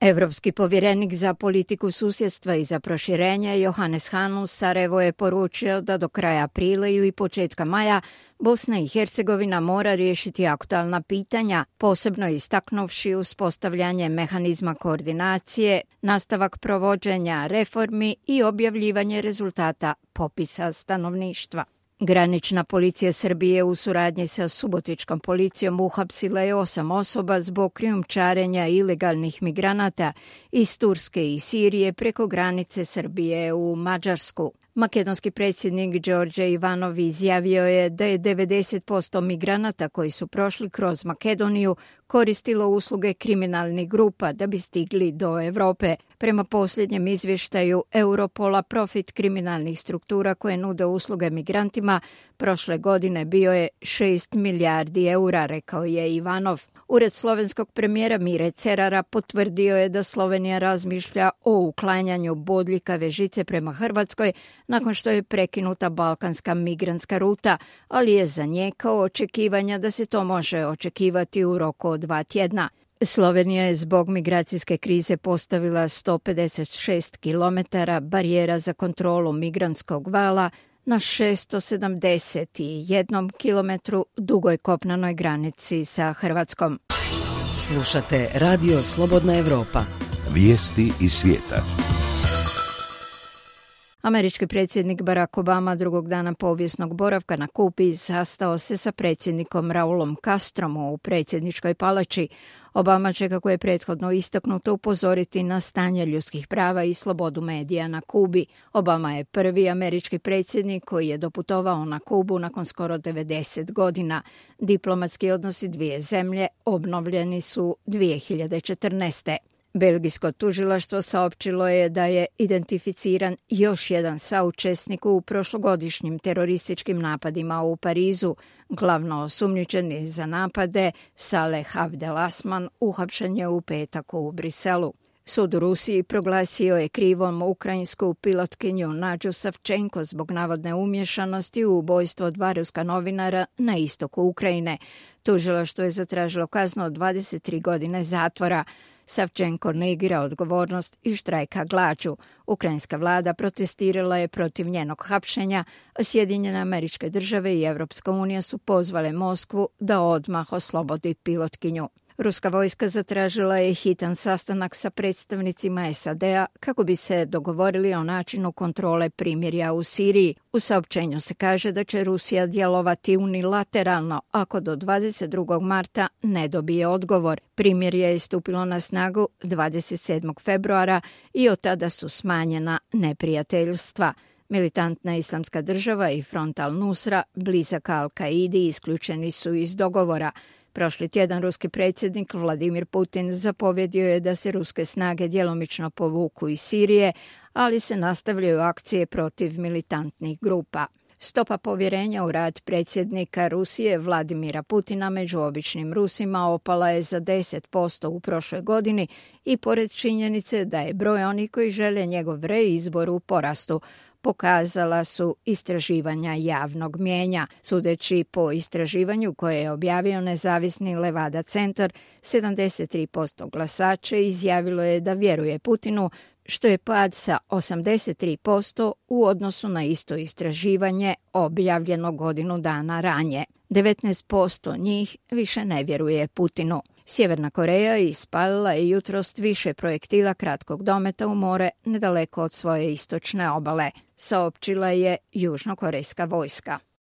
Evropski povjerenik za politiku susjedstva i za proširenje Johannes Hahn u Sarajevu je poručio da do kraja aprila ili početka maja Bosna i Hercegovina mora riješiti aktualna pitanja, posebno istaknuvši uspostavljanje mehanizma koordinacije, nastavak provođenja reformi i objavljivanje rezultata popisa stanovništva. Granična policija Srbije u suradnji sa subotičkom policijom uhapsila je 8 osoba zbog krijumčarenja ilegalnih migranata iz Turske i Sirije preko granice Srbije u Mađarsku. Makedonski predsjednik Đorđe Ivanov izjavio je da je 90% migranata koji su prošli kroz Makedoniju koristilo usluge kriminalnih grupa da bi stigli do Europe. Prema posljednjem izvještaju Europola, profit kriminalnih struktura koje nude usluge migrantima prošle godine bio je 6 milijardi eura, rekao je Ivanov. Ured slovenskog premijera Mire Cerara potvrdio je da Slovenija razmišlja o uklanjanju bodljikave žice prema Hrvatskoj nakon što je prekinuta balkanska migrantska ruta, ali je zanijekao očekivanja da se to može očekivati u roku od 2 tjedna. Slovenija je zbog migracijske krize postavila 156 km barijera za kontrolu migrantskog vala na 671 kilometru dugoj kopnenoj granici sa Hrvatskom. Slušate Radio Slobodna Evropa. Vijesti iz svijeta. Američki predsjednik Barack Obama drugog dana povijesnog boravka na Kubi sastao se sa predsjednikom Raulom Castrom u predsjedničkoj palači. Obama će, kako je prethodno istaknuto, upozoriti na stanje ljudskih prava i slobodu medija na Kubi. Obama je prvi američki predsjednik koji je doputovao na Kubu nakon skoro 90 godina. Diplomatski odnosi dvije zemlje obnovljeni su 2014. Belgijsko tužilaštvo saopćilo je da je identificiran još jedan saučesnik u prošlogodišnjim terorističkim napadima u Parizu. Glavno osumnjičeni za napade, Saleh Abdelasman, uhapšen je u petak u Briselu. Sud u Rusiji proglasio je krivom ukrajinsku pilotkinju Nadžu Savčenko zbog navodne umješanosti u ubojstvo 2 ruska novinara na istoku Ukrajine. Tužilaštvo je zatražilo kaznu od 23 godine zatvora. Savčenko negira odgovornost i štrajka glađu. Ukrajinska vlada protestirala je protiv njenog hapšenja, a Sjedinjene Američke Države i Evropska unija su pozvale Moskvu da odmah oslobodi pilotkinju. Ruska vojska zatražila je hitan sastanak sa predstavnicima SAD-a kako bi se dogovorili o načinu kontrole primirja u Siriji. U saopćenju se kaže da će Rusija djelovati unilateralno ako do 22. marta ne dobije odgovor. Primirje je stupilo na snagu 27. februara i od tada su smanjena neprijateljstva. Militantna Islamska država i Front al-Nusra, blizak Al-Kaidi, isključeni su iz dogovora. Prošli tjedan ruski predsjednik Vladimir Putin zapovjedio je da se ruske snage djelomično povuku iz Sirije, ali se nastavljaju akcije protiv militantnih grupa. Stopa povjerenja u rad predsjednika Rusije Vladimira Putina među običnim Rusima opala je za 10% u prošloj godini i pored činjenice da je broj onih koji žele njegov reizbor u porastu, pokazala su istraživanja javnog mnijenja. Sudeći po istraživanju koje je objavio nezavisni Levada centar, 73% glasača izjavilo je da vjeruje Putinu, što je pad sa 83% u odnosu na isto istraživanje objavljeno godinu dana ranije. 19% njih više ne vjeruje Putinu. Sjeverna Koreja ispalila je jutros više projektila kratkog dometa u more nedaleko od svoje istočne obale, saopćila je južnokorejska vojska.